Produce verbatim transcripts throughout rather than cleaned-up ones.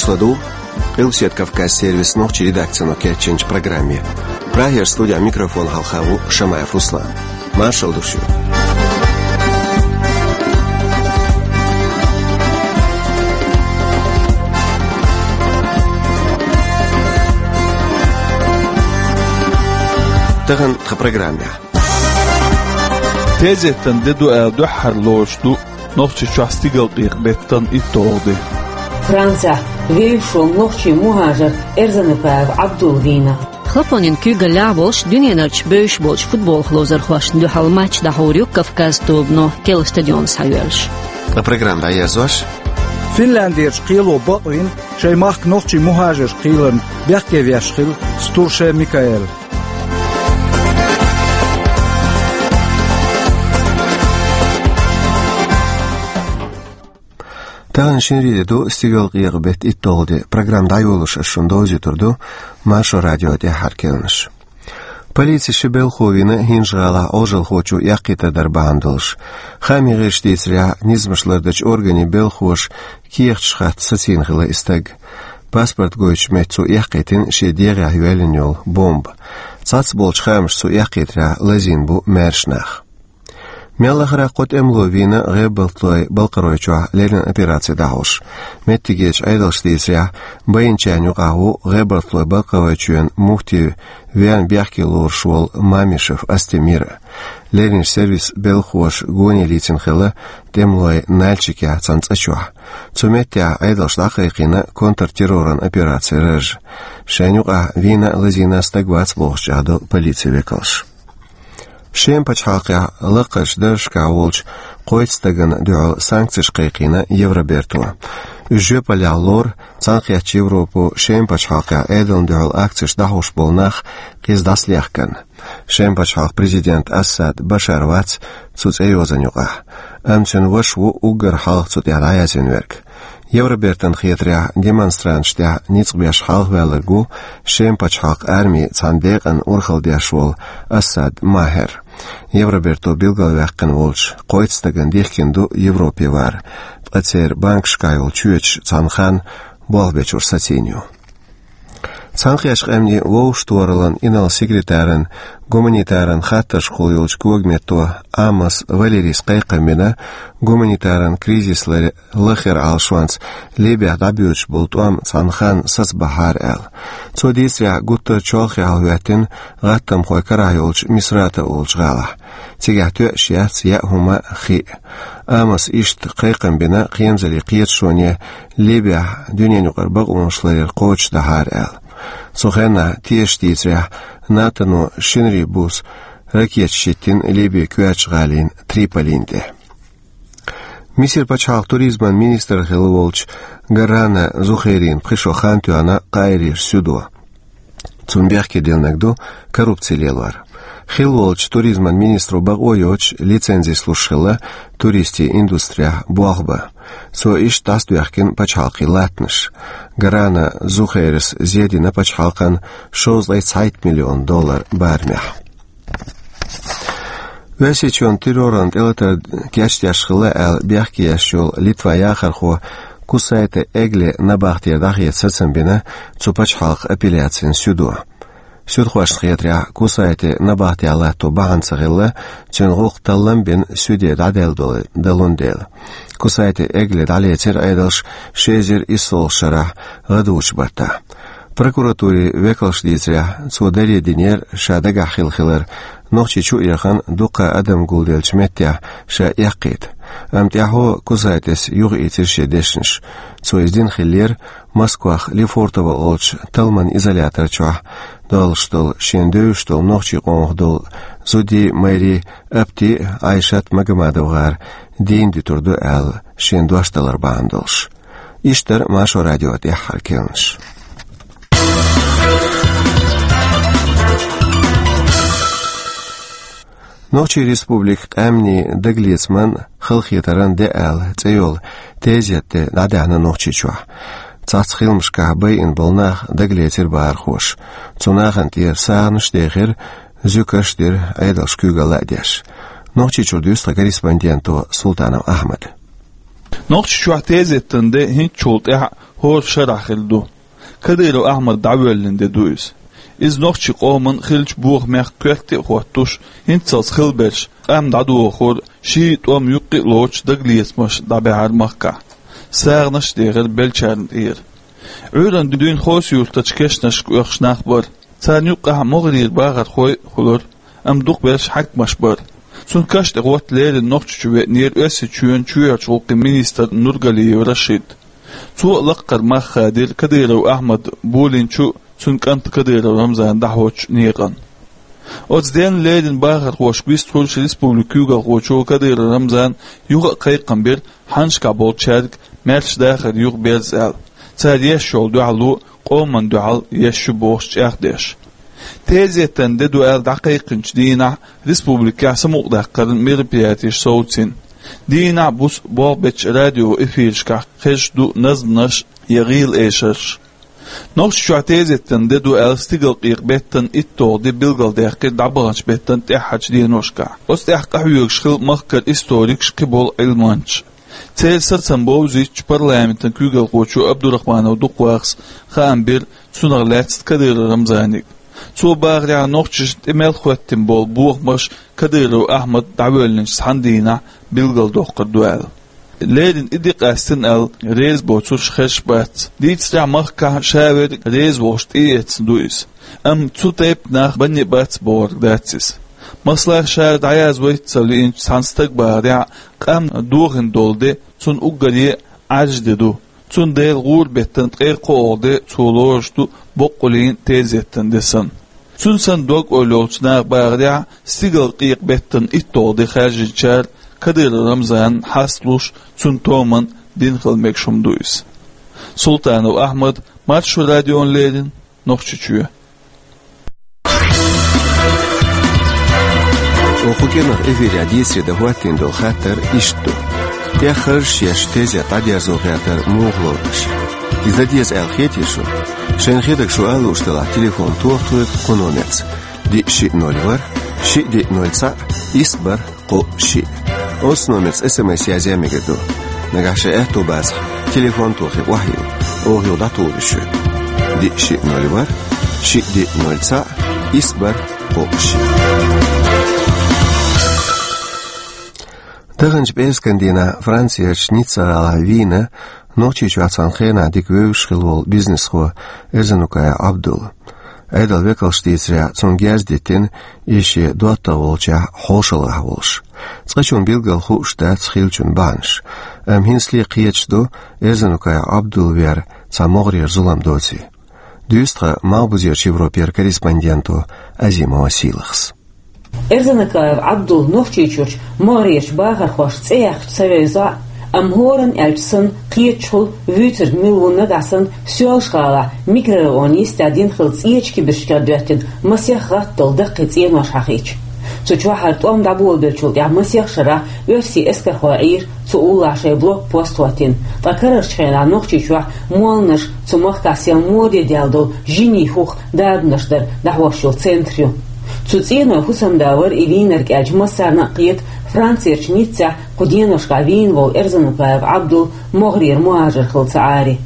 Со ду Къилбаседа Кавказ сервисан нохчийн редакцино кечйинчу программе. Прагера студехь микрофон хьалха ву Шамаев Руслан. Маршалла ду шуьга. Тахана тхан программехь. Тезеттан де ду аьлла дуьххьара лоруш ду Нохчийчохь стигалкъекъа-беттан итталгӀа де. Францехь вевзаш волу нохчийн мухӀажар Эрзанапаев Ӏабдул вийна. Хлопонийн куьйгаллехь а волуш, дуьненарчу бевзаш болчу футболах ловзархошна дуьхьал матч дӀахьур ю Кавказ тобано, Кела стадионе схьайоьллуш. Ткъа программа дӀаерзош. Финляндерчу кхело бакъвина шайн махка нохчийн мухӀажарш кхийларна бехке веш хилла Стурше Микаэл. Тахана шинарин де ду, стигалкъекъа-беттан итталгӀа де. Программа дӀайолош ас шуна довзуьйтур ду Маршо радион тӀаьххьара керланаш. Полици ши белхо вийна ХӀинжа-ГӀалахь Ӏожалхочо эккхийтар дар бахьана долуш. Хаамийн гӀирсаша дийцарехь, низамаш лардечу органийн белхоша кехаташ хатта сацийна хилла и стаг. Паспорт гойтучу метта цо эккхийтина шен дегӀехь йоьллина йолу бомба. Цхьацца болчу хаамашца цо эккхийтарехь лазийна бу маьрша нах. Мел лахара кхо тӀемало вийна ГӀебартойн-Балкхаройчохь леррина операци дӀахьош. Меттигерчу Ӏедалша дийцарехь, байинчарна юкъахь ву ГӀебартойн-Балкхаройчоьнан муфти верна бехке лоруш волу Мамишев Астемир. Леррина сервисан белхоша гоне лийцина хилла тӀемалой Нальчикехь цхьана цӀа чохь. Цу меттехь Ӏедалша дӀакхайкхийна контртерроран операцин раж. Шайна юкъахь вийна а, лазийна а стаг вац бохучух ду полицин векалша. Шеман пачхьалкхехь лакхарчу даржашкахь волчу кхойтта стагана дуьхьал санкцеш кхайкхийна Евроберто. Уьш жоьпаллехь лору Цхьаьнакхеттачу Европо Шеман пачхьалкхехь Ӏедална дуьхьал акцеш дӀахьош болу нах къиза дӀасалехкарна. Шеман пачхьалкхан президент Асад Башар вац цу цӀейозанна юкъахь, амма цуьнан ваша ву уггар хьалха цу тӀехь дӀаязвина верг. Евробертан хетарехь, демонстранташна тӀехь ницкъ беш хьалхаваьлларг ву Шеман пачхьалкхан арми цхьана декъана урхалла деш волу Асад Махер. Евроберто билгалваьккхина волчу кхойтта стагана дихкина ду Европе вар, ткъа церан банкашкахь йолу чоьташ цхьана ханна болх бечуьра сацийна ю. Цхьаьнакхеттачу Къаьмнийн Вовшахтохараллан инарла-секретаран гуманитаран хаттаршкахула йолчу когаметто Амос Валерийс кхайкхам бина гуманитаран кризис лар-, лахара Ӏалашонца Ливехь дӀабоьдуш болу тӀом цхьана ханна сацабахьара аьлла. Цо дийцарехь, гуттар а чолхе хьалахӀоьттина гӀаттамхой карахь йолчу Мисрата олучу гӀалахь. Цигахь тоьаш яц яа хӀума а, хи а. Амоса иштта кхайкхам бина кхерамазаллин кхеташоне Ливехь дуьненаюкъара бакъонаш ларъяр кхочушдахьара аьлла. Цу хенахь, тешаша дийцарехь, НАТОно шинарин буса ракеташ хӀиттийна Ливин коьртачу гӀалина Триполин тӀе. Мисар пачхьалкхан туризман министр хилла волчу Гарана Зухайрин пхи шо хан тоьхна Каирера суьдо. Цунна бехке диллинарг ду коррупци лелор. Хилла волчу туризман министро бакъо йоцуш лицензи луш хилла туристийн индустрехь болх бан. Цо иштта дӀасадоьхкина пачхьалкхийн латтанаш. Гарана Зухайрас зен дина пачхьалкхана шовзткъе цхьайтта миллион доллар барамехь. Оьрсийчоьнан терроран тӀелатар кечдеш хилла аьлла бехке еш йолу Литван яхархо Кусайте Эгле набахтера дӀахеца сацам бина цу пачхьалкхан апелляцин суьдо. Суьдхошна хетарехь, Кусайте набахтехь латто бахьана ца хилла, цуьнан гӀуллакх таллам бина суьде дӀадаьлла долу, далун дела. Кусайте Эгле дӀалецира Ӏедалша ши эзар исс шарахь гӀадужу баттахь. Прокуратурин векалша дийцарехь, цо даре динера, ша дагахь хилла хилар, Нохчийчу а яхана, дуккха адам гулделлачу меттехь ша эккхийта. Амма тӀаьхьо Кусайтес юхаийцира шен дешнаш. Цо иза дина хиллера Москвахь Лефортово олучу талламан изолятор чохь долуш долу шен девзаш долу нохчийн къомах долу зудий, майрий Апти а, Айшат Магомадовгар дийна дуьтур ду аьлла, шен дош далар бахьана долуш. Иштта дара Маршо радион тӀаьххьара керланаш. Нохчийн Республикан къаьмнийн дагалецаман халахетаран де аьлла цӀе йолу тезетан де дӀадаьхьна Нохчийчохь. Цхьацца хиламашкахь байина болу нах дагалецира бахархоша. Цу нахана тӀера сагӀанаш а дехира, зуькаш а дира, Ӏедалша куьйгалла а деш. Нохчийчуьра дуьйцу тхан корреспонденто Султанов Ахьмада. Нохчийчохь тезетан де хӀинцачул тӀаьхьа хӀора шарахь хилла ду. Кадыров Ахьмад дӀавоьллина де ду иза. Иза нохчийн къоман хиллачу бохамех коьрте а хӀоттош, хӀинццалц хилла берш, къам дӀадохура, ший тӀом юккъе а лоцуш, дагалецамаш дӀабаьхьира махкахь. СагӀанаш а дехира беллачарна тӀера. Ӏуьйранна дуьйна Хоси-Юртарчу кешнашка оьхуш нах бара. Царна юккъехь могӀарера бахархой а хуьлура, амма дукхахберш хьаькамаш бара. Цунна каш тӀе хӀотта леррина Нохчийчу веанера Оьрсийчоьнан чоьхьарчу гӀуллакхийн министр Нургалиев Рашид. Цо а лаккхара мах хадийра Кадыров Ахьмада болийначу а, цуьнан кӀанта Кадыров Рамзана дӀахьочу некъана. Оцу денна леррина бахархошка вистхуьлуш республикан куьйгалхочо Кадыров Рамзана юха а кхайкхам бира хьаннашкахь болчаьрга маьрша дахар юха берза аьлла, цара еш йолу дуьхьало къоман дуьхьал еш ю бохуш чӀагӀдеш. Тезетан де ду аьлла дӀакхайкхинчу дийнахь республикехь самукъадаккхаран мероприятеш совцийна. Дийнахь а, буса а болх бечу радиоэфирашкахь хезаш ду назманаш я гӀийла эшарш. Нохчийчохь тезетан де ду аьлла стигалкъекъа беттан итталгӀа де билгалдаьккхира дӀабаханчу беттан тӀаьххьарчу деношкахь. Оцу тӀехь къахьоьгуш хилла махкара историкаш, кхиболу Ӏилманчаш. Церан сацам бовзуьйтуш парламентан куьйгалхочо Абдурахманов Дукхвахас хаам бира цунах лаьцна Кадыров Рамзаниг. Цо бахарехь, нохчашна тӀе мел хӀоьттина болу бохамаш Кадыров Ахьмад дӀавоьллинчу цхьана дийнахь билгалдоккхур ду аьлла. Леррина и де къастина аьлла реза боцурш хезаш бац. Дийцарехь, махкахь ша верг реза волуш тӀеэцна ду иза. Амма цу тайпа нах банне бац бохург дац иза. Масала, ша дӀаязвайта ца лиъначу цхьана стага бахарехь, къам дохийна долу де цунна уггаре а Ӏаьржа де ду. Цундела гӀуран беттан ткъе кхоалгӀа де цо лоруш ду боккъаллин тезетан де санна. Цуьнан санна дог-ойла йолчу наха бахарехь, стигалкъекъа беттан итталгӀа де хаьржинчара Кадыров Рамзанна хьасталуш, цуьнан томанна дина хила мегаш хӀума ду иза. Султанов Ахьмад, Маршо радиона леррина, Нохчийчоь. Оха кху кӀиранах эфирехь дийцаре дан хӀоттийна долу хаттар иштта ду: тӀеххьарш еш тезет дӀадерзо гӀертар муха лоруш? Иза дан деза аьлла хетий шуна? Шайна хетарг шу ала лууш делахь, телефон тоха тхоьга кху номерца: диъ шиъ ноль ворхӀ, шиъ диъ ноль цхьаъ, исс бархӀ кхоъ шиъ. Оцу номерца эс эм эс язъян мегар ду. Нагахь шайн аьтто бацахь, телефон тохий охьайилла, оха юха дӀатухур ю шуьга. Диъ шиъ ноль ворхӀ, шиъ диъ ноль цхьаъ, исс бархӀ кхоъ шиъ. Даханчу пӀераскан дийнахь Францерчу Ницца гӀалахь вийна Нохчийчохь цхьана хенахь дика вевзаш хилла волу бизнесхо Эрзанукаев Ӏабдулла. Ӏедалан векалша дийцарехь, цунна герз диттина иза шен доттагӀа волчохь хьошалгӀахь волуш. Цкъачунна билггал хууш дац хиллачун бахьанаш, амма хӀинцале кхеташ ду Эрзанукаев Ӏабдулла вер цхьа могӀарера зулам доций. Дуьйцу тхан Малхбузерчу Европера корреспонденто Азимова Сийлахьас. Эрзанакаев Ӏабдулла Нохчийчуьрчу могӀарерчу бахархошна цӀе яьккхича ца вевза, амма хӀоранна аьлча санна, кхеташ хуьлу вуьйцург мила ву нагахь санна Соьлжа-ГӀалахь микрорайон йистехь дина хилла цӀечу кибарчкех доьттина масех гӀатталла даккхий цӀенош хьахийча. Цу чохь хӀара тӀом дӀаболабеллачул тӀаьхьа масех шарахь оьрсийн эскархой Ӏийра цу уллохь шайн блокпост хӀоттийна, ткъа карарчу хенахь Нохчийчохь молланаш цу махкахь сел моде даьлла долу жинийн хӀух дарбанаш дар дӀахьош йолу центр ю. Цу цӀенойн хӀусамда вара и вийнарг аьлча массарна а кхета Францерчу Ниццехь кху деношкахь вийна волу Эрзанукаев Ӏабдулла могӀарера мухӀажар хилла ца Ӏаре.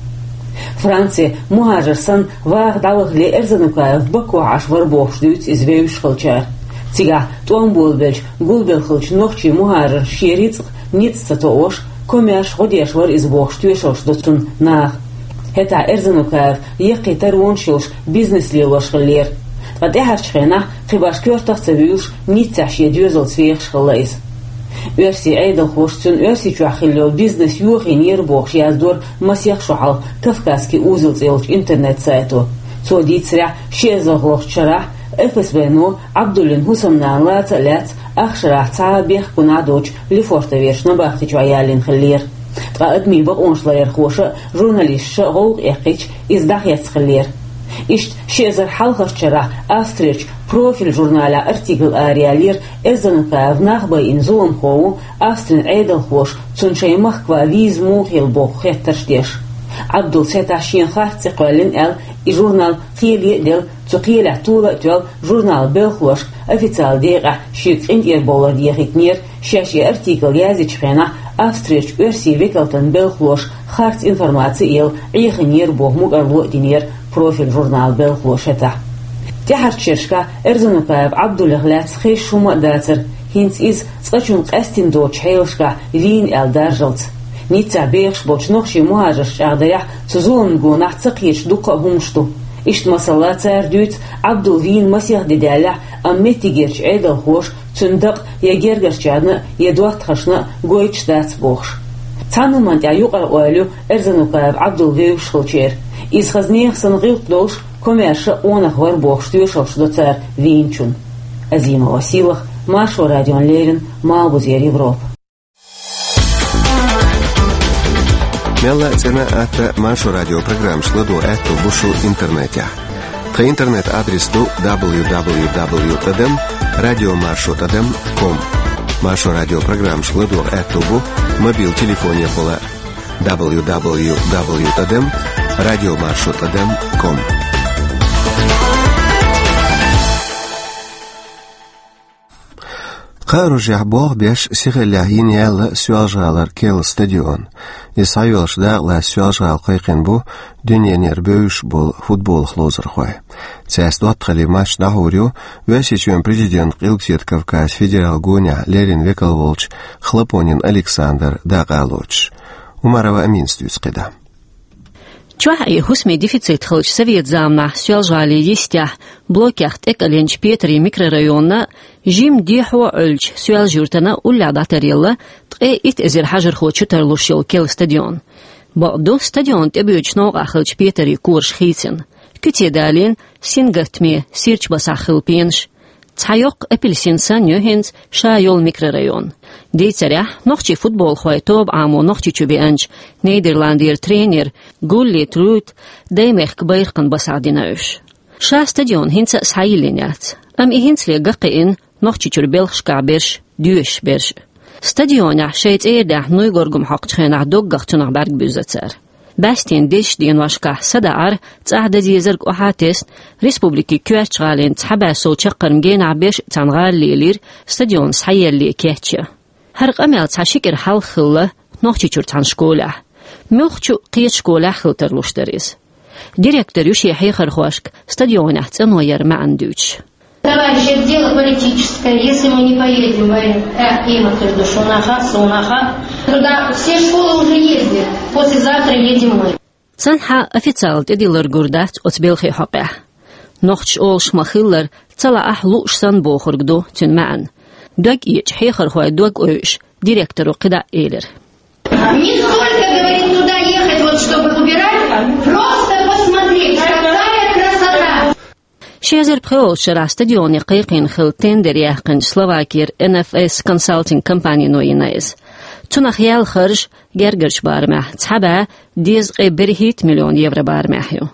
Франце мухӀажар санна ваха дӀавахале Эрзанукаев Бакохь Ӏаш вара бохуш дуьйцу иза вевзаш хиллачара. Цигахь тӀом болабелча гулбелла хиллачу нохчийн мухӀажарна шен рицкъ ницкъ ца тоъош, комаьрша гӀо деш вара иза бохуш тоьшаллаш до цунна наха. ХӀетахь Эрзанукаев яккхий таронаш йолуш бизнес лелош хиллера. Ткъа тӀаьхьарчу хенахь, кхин башха коьртах а ца вуьйлуш, Ниццехь шен доьзалца вехаш хилла иза. Оьрсийн Ӏедалхоша цуьнан Оьрсийчохь хилла йолу бизнес йохийнера бохуш яздора масех шо хьалха «Кавказский узел» цӀе йолчу интернет-сайто. Цо дийцарехь, ши эзар лоьхучу шарахь ФСБ-но Ӏабдуллин хӀусамнана лаца а лаьцна, ах шарахь цхьа а бехк гуна а доцуш, Лефортоверчу набахти чохь ялийна хиллера. Ткъа адамийн бакъонаш ларъярхоша а, журналисташа а гӀовгӀа эккхича, иза дӀахецна хиллера. Иштта ши эзар хьалхарчу шарахь Австрерчу «Профиль» журналехь артикл араяллера Эрзанукаев нах байина зуламхо ву, Австрин Ӏедалхоша цунна шайн махкахь виза муха елла боху хеттарш деш. Ӏабдуллас хӀетахь шена харц цӀе кхоьллина аьлла, и журнал кхеле а делла, цу кхелехь тола а тоьлла, журналан белхалошка официалан декъехь шега къинтӀера бовлар дехийтинера, шаьш и артикл яздечу хенахь Австрерчу оьрсийн векалтан белхалоша харц информаци а елла, Ӏехийнера боху мукӀарло а динера «Профиль» журналан белхалоша хӀетахь. ТӀаьхьарчу шерашкахь Эрзанукаев Ӏабдуллех лаьцна хезаш хӀумма а дацара, хӀинца иза цкъачунна къаьстина доцучу хьелашкахь вийна аьлла даржалц. Ниццехь бехаш болчу нохчийн мухӀажарш чӀагӀдарехь, цу зуламна гонахь ца кхеташ дуккха а хӀуманаш ду. Иштта, масала, цара дуьйцу, Ӏабдул вийна масех де даьллехь, амма меттигерчу Ӏедалхоша цуьнан дакъа я гергарчарна а, я доттагӀашна а гойтуш дац бохуш. Цхьана хӀуманна тӀехь юкъара ойла ю Эрзанукаев Ӏабдул вевзаш хилчеран. Иза хаза нехан санна гӀиллакх долуш, комаьрша а къонах вара бохуш тоьшаллаш до цара вийначунна. Азимова Сийлаха, Маршо радиона леррина, Малхбузера Европа. Мелла а цӀена а, атта а Маршо радион программашка ладогӀа аьтто бу шун интернетехь. Тхан интернет-адрес ду дабл ю дабл ю дабл ю тӀадам радиомаршо тӀадам ком. Маршо радион программашка ладогӀа аьтто бу мобил телефонехула дабл ю дабл ю дабл ю тӀадам радиомаршо тӀадам ком. Кхаарожехь болх беш, сихаллехь йина яьлла Соьлжа-ГӀалара керла стадион. Иза схьайоьллуш дакъалаца Соьлжа-ГӀала кхайкхина бу дуьненара бевзаш болу футболах ловзархой. Цаьрца доттагӀаллин матч дӀахьур ю Оьрсийчоьнан президентан Къилбаседа Кавказан федералан гонехь леррина векал волчу Хлопонин Александр дакъа а лоцуш. Умарова Аминас дуьйцу кхидӀа. Чохь а хӀусамийн дефицит хиллачу совет заманахь Соьлжа-ГӀалин йистехь, блокех тӀекӀеленчу Петарин микрорайонна, жимма дехьо а Ӏуьллучу Соьлжа-Юьртана уллехь дӀатаръелла ткъе итт эзар хьажархо чу тарлуш йолу керла стадион. Бакъду, стадион тӀебоьдучу новкъахь хиллачу Петарин кораш хийцина. Куьце далийна, сингаттаме, сирачу басахь хилла пенаш. Цхьа йоккха апельсин санна ю хӀинца ша йолу микрорайон. Дийцарехь, нохчийн футболхойн тоба Ӏамо Нохчийчу беанчу Нидерландера тренера Гулли Трут даймехкан байракхна басахь дина уьш. Ша стадион хӀинца а схьайиллина яц, амма и хӀинцале ган кхиъна Нохчийчуьра белхашкахь берш, доьшуш берш. Стадионехь шайн цӀера даьхна нуй горгам хьокхучу хенахь доггах цунах бӀаьрг буьзна цара. БӀаьстенан дезачу деношкахь садаӀар цӀахь дан дезарг охьа а тесна, республикин коьртачу гӀалина цхьа бӀе сов чаккхарма генахь берш а цхьаьна гӀала лелийра стадион схьаеллале кечъян. ХӀара къамел цхьа ши кӀира хьалха хилла Нохчийчуьра цхьана школехь. Муьлххачу кхечу школехь хила тарлуш дара иза. Директор ю шен хьехархошка стадионехь цӀано яран маьӀна дуьйцуш. Товарищи, это дело политическое. Если мы не поедем, говорят, э, имахир душунаха, сунаха. Туда все школы уже ездят. Послезавтра едем мы. Цхьанхьа официалан тӀедиллар гур дац оцу белхийн хьокъехь. Нохчаша олуш ма-хиллара, ца лаахь лууш санна бохург ду цуьнан маьӀна. Дог эцча хьехархойн дог ойуш, директоро кхидӀа а элира. Не столько, говорит, туда ехать, вот, чтобы убирать, просто посмотреть, какая красота. Ши эзар пхоьалгӀачу шарахь стадионе кхайкхийна хилла тендер яьккхинчу Словакера Н Ф С консалтинг компанино йина иза. Цунах яьлла харж гергарчу барамехь цхьа бӀе дезткъе берхӀитта миллион евро барамехь ю.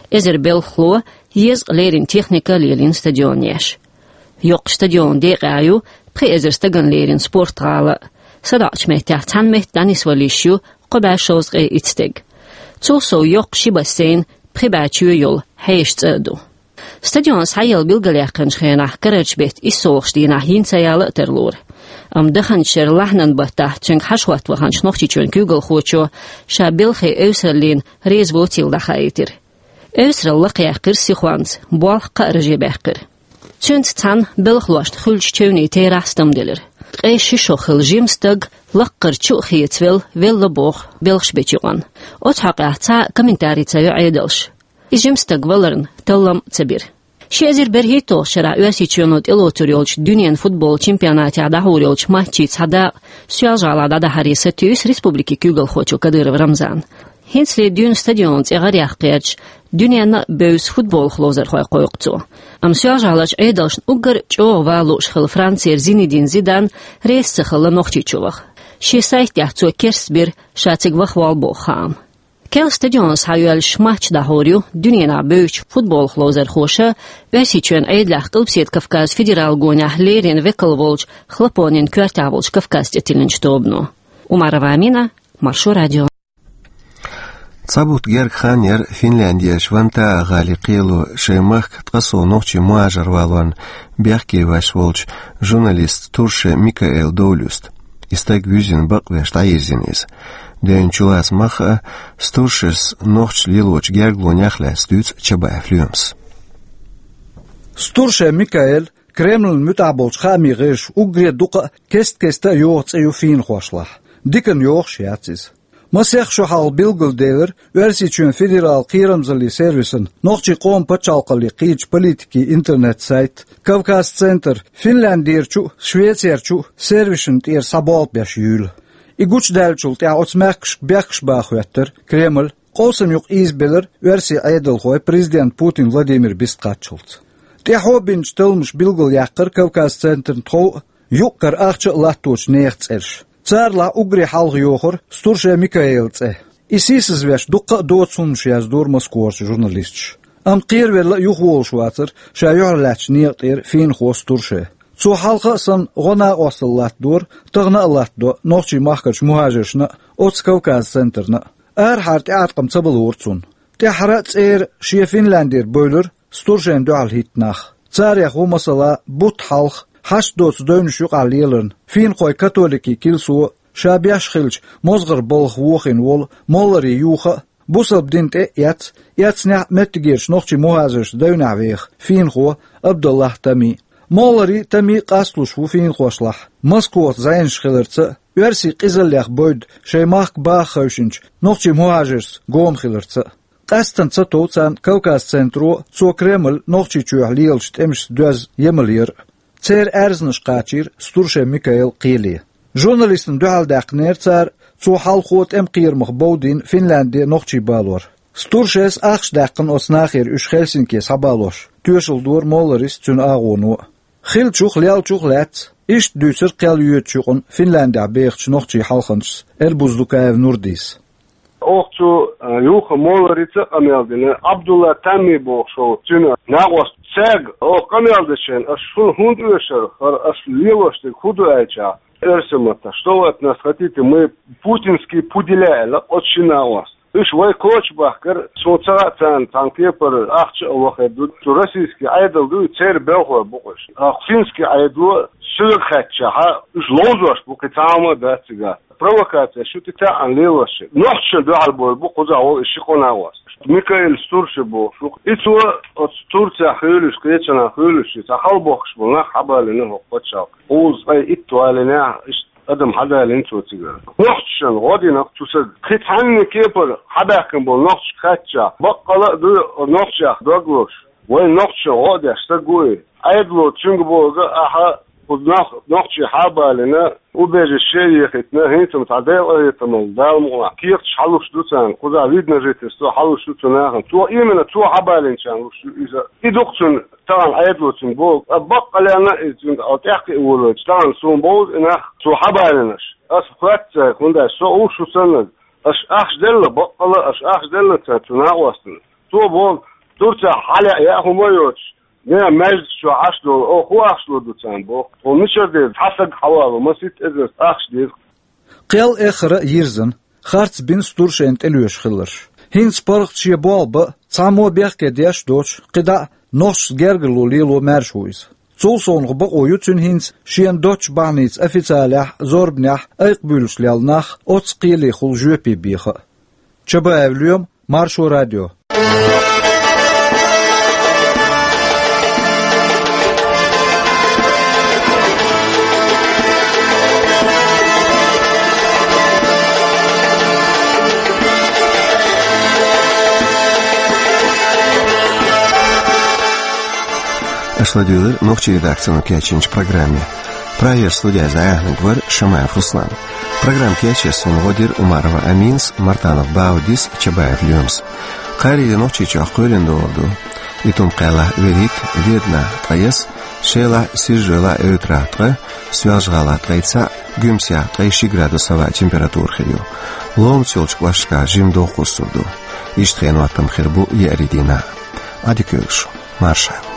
Эзар белхало, езткъа леррина техника а лелийна стадионан еш. Йоккхачу стадионан декъехь ю пхи эзар стагана леррина спортгӀала а, садоӀучу меттехь цхьана метта дӀанисвала йиш ю кхо бӀе шовзткъе итт стаг. Цул сов йоккха ши бассейн, пхи бӀе чоь йолу хьеша цӀа а ду. Стадион схьаелла билгалъяьккхинчу хенахь карарчу беттан иссолгӀачу дийнахь йина ца яла а тарлора. Амма даханчу шеран лахьанан баттахь цуьнга хьажа хӀотта ваханчу Нохчийчоьнан куьйгалхочо ша белхан эвсараллина реза воцийла дӀахаийтира. Эвсаралла лакхаяьккхира сихонца, болх кхаа раже баьккхира. Цуьнца цхьаьна белхалошна хуьлучу чевнийн терахь стамделира. Ткъе ши шо хилла жима стаг лаккхара чу а хецавелла, велла боху белхаш бечу юкъана. Оцу хьокъехь цхьа а комментарий ца йо Ӏедалша. И жима стаг валарна таллам а ца бира. Ши эзар берхӀитталгӀачу шарахь Оьрсийчоьно тӀелоцур йолчу дуьненан футболан чемпионатехь дӀахьур йолчу матчийн цхьа дакъа Соьлжа-ГӀалахь дӀадахьаре сатуьйсу республикин куьйгалхочо Кадыров Рамзана. ХӀинцале дуьйна стадион цӀе гӀараяхка гӀерташ, дуьненна а бевза футболах ловзархой кхойкху цо. Амма Соьлжа-ГӀаларчу Ӏедалшна уггар а чӀогӀа ван лууш хилла Францера Зинедин Зидан реза ца хилла Нохчийчу ваха. Шен сайтехь цо керстбира ша цига ваха воллу боху хаам. Керла стадионе схьайоьллуш матч дӀахьур ю дуьненахь бевзачу футболах ловзархоша Оьрсийчоьнан Ӏедалехь Къилбаседа Кавказан федералан гонехь леррина векал волчу Хлопонин коьртехь волчу Кавказ цӀе тиллинчу тобано. Умарова Амина, Маршо радио. Цхьа бутт герга хан яра Финляндерчу Вантаа-гӀалин кхело шайн махка ткъа сов нохчийн мухӀажар валорна бехке ваьш волчу журналист Турше Микаэл довла юста. И стаг вуьззина бакъвеш дӀайирзина иза. Девнна чулаца мах а, Стуршес нохчаша лелочу гергалонех а лаьцна дуьйцу Чабаев Лоьмас. Стурше Микаэль Кремлан муьтӀахь болчу хаамийн гӀирсаша уггаре дукха а, кест-кеста а йоху цӀе ю финахошлахь. Диканна йохуш яц иза. Масех шо хьалха билгалделира Оьрсийчоьнан федералан кхерамзаллин сервисан нохчийн къоман пачхьалкхалле кхечу политикийн интернет-сайт «Кавказ-центр» Финляндерчу а, Швецерчу а сервисашна тӀера схьаболх беш юйла. И гучудаьллачул тӀаьхьа оцу мехкашка бехкаш бан хоьттира Кремль, къовсам юкъа ийзабелира оьрсийн Ӏедалхой президент Путин Владимир бистхаттачулц. ТӀаьхьо бинчу талламаша билгалъяьккхира «Кавказ-центрна» тхов а, юкъ-кара ахча а латточу нехан цӀераш. Царалахь уггаре хьалха йохура Стурше Микаэлан цӀе. И сийсазвеш дуккха а доцу хӀуманаш яздора Москварчу журналисташа. Амма кхеравелла а юхаволуш вацара ша юьхьарлаьцначу некъа тӀера финахо Стурше. Цо хьалха а санна гӀо-накъосталла латтадора, тахана а латтадо нохчийн махкарчу мухӀажиршна а, оцу «Кавказ-центрна» а. Арахьара тӀеӀаткъам ца балора цунна. ТӀаьххьара а цӀера шен Финляндера бевлира Стуршена дуьхьал хӀитта нах. Царех ву, масала, бутт хьалха, хьашт доцу девнаш юкъахь леларна, финахойн католикийн килсо а, ша беш хиллачу мозгӀаран балхах вохийна волу Моллари Юха а, бусалба дин тӀе а эцна, эцнехь а меттигерчу нохчийн мухӀажиршца девнехь веха финахо Абдаллахь Тами. Моллари Тами къасталуш ву финахошлахь, Москвахь зӀенаш хиларца а, оьрсийн къизаллех бевдда шайн махка баха хевшинчу нохчийн мухӀажиршца гома хиларца а. Къаьсттина ца тов царна «Кавказ-центро» а, цо Кремль Нохчийчохь лелачу тӀемашца доьзна емал яр а. Церан аьрзнаш кхачийра Стурше Микаэлан кхеле. Журналистна дуьхьал даьккхинера цара цо хьалхо тӀеман кхерамах бовдийна Финлянде нохчий балор. Стуршес ахча даьккхина оцу нахера уьш Хельсинке схьабалош, тоьшалла дора Молларис, цуьнан агӀоно а. Хиллачух, леллачух а лаьцна, иштта дуьйцура кхел йоьдучу юкъана Финляндехь бехачу нохчийн хьалханчас Эрбуз Дукаев Нурдис. Оха цу, а, Юха Молларица а къамел дина, Абдулла Тамми бохуш волу цуьнан накъост. Цаьрга оха къамел дечу хенахь, аш шуна хӀунда оьшу, хӀара аш лелош дерг хӀун ду аьлча, оьрсийн маттахь: «Что вы от нас хотите? Мы путинские пуделя», — аьлла оцу шина накъоста. Уьш вай коча бахкара, суна ца хаьа, царна цхьана кепара ахча а вахар ду, цу российский Ӏедал дуй, церан белхалой бу-кх уьш. Ткъа финский Ӏедало соьга хаьттича, уьш ловзош бу, кхин цхьа хӀума а дац цигахь. Провокацеш ю тӀетаьӀӀина лелош. Нохчашна дуьхьал бовр бу кхузахь волу и ши къонахост. Микаэль Стурше бохуш ву. И цо оцу Турцехь хуьлуш, кхечанхьа хуьлуш, и цхьа хьалабохкуш болу нах хьабалийна хӀокху пачхьалкхе. Кхузткъе итт валийнехь, иштта адам хьадалийна цо цигара. Нохчашна гӀо дина-кх цу стага. Кхин цхьанна кепара хьабаьхкина болу нохчашка хаьттича, баккъала а ду нохчех дог лозуш. Вайн нохчашна гӀо а деш стаг ву и. Ӏедало цуьнга боху, ахьа кху нах, нохчий хьабалийна, убежище яхийтина, хӀинца-м цхьа Делан къинхетамалла, Дала мукъалахь, кехаташ хьалуш ду царна, кхузахь вид на жительство хьалуш ду цу нахана. Цо, именно цо хьабалийначарна луш ю иза. И ду-кх цуьнан, тахана Ӏедало цуьнга боху, а баккъалла а иза цуьнга, а тӀаьхьа а волавелча, тахана суна бовзу и нах, цо хьабалийнарш. Ас хоьтту цаьрга, хӀунда аьлча со уьш шу саннарг. Аша ахча делла, баккъала а аша ахча делла цаьрга, цу накъостана. Цо боху, Турцехь хьалаьа яа хӀума а йоцуш, нагахь маьждиг чохь Ӏаш долу, оха хӀун ахча лур ду царна боху? Тхуна мичара деза? Цхьа стаг хьавало, масийтта эзарш ахча деза. Кхел эххар а йирзина, харц бина Стуршена тӀелоьшуш хилларш. ХӀинца паргӀат шен болх бан а, цхьаммо бехке деш а доцуш, кхидӀа а нохчашца гергарло лело маьрша ву иза. Цул совнаха бакъо ю цуьнан хӀинца шена доцчу бахьаница официалехь а, зорбанехь а айкхабуьйлуш лелла нах оццу кхелехула жоьпе беха а. Чабаев Лоьма, Маршо радио. Аша ладуьйлира нохчийн редакцино кечйинчу программе. Прагера студехь зӀе охьаниг вара Шамаев Руслан. Программа кечъеш суна гӀо дира Умарова Аминас, Мартанов Баудис, Чабаев Лоьмас. Кхаарийра Нохчийчохь кхоьлина догӀур ду. Итум-Кхаьллахь вуьрхӀитта, Веданахь ткъе исс, Шелахь, Сизжолахь, Эвтарахь ткъа, Соьлжа-ГӀалахь ткъе цхьаъ, Гуьмсехь ткъе ши градус хӀаваан температура хир ю. Ломаца йолчу кӀошташкахь жимма доккха сурт ду. Иштта хенан хӀоттам хир бу еарин дийнахь. Ӏадика йойла шун. Маршалла.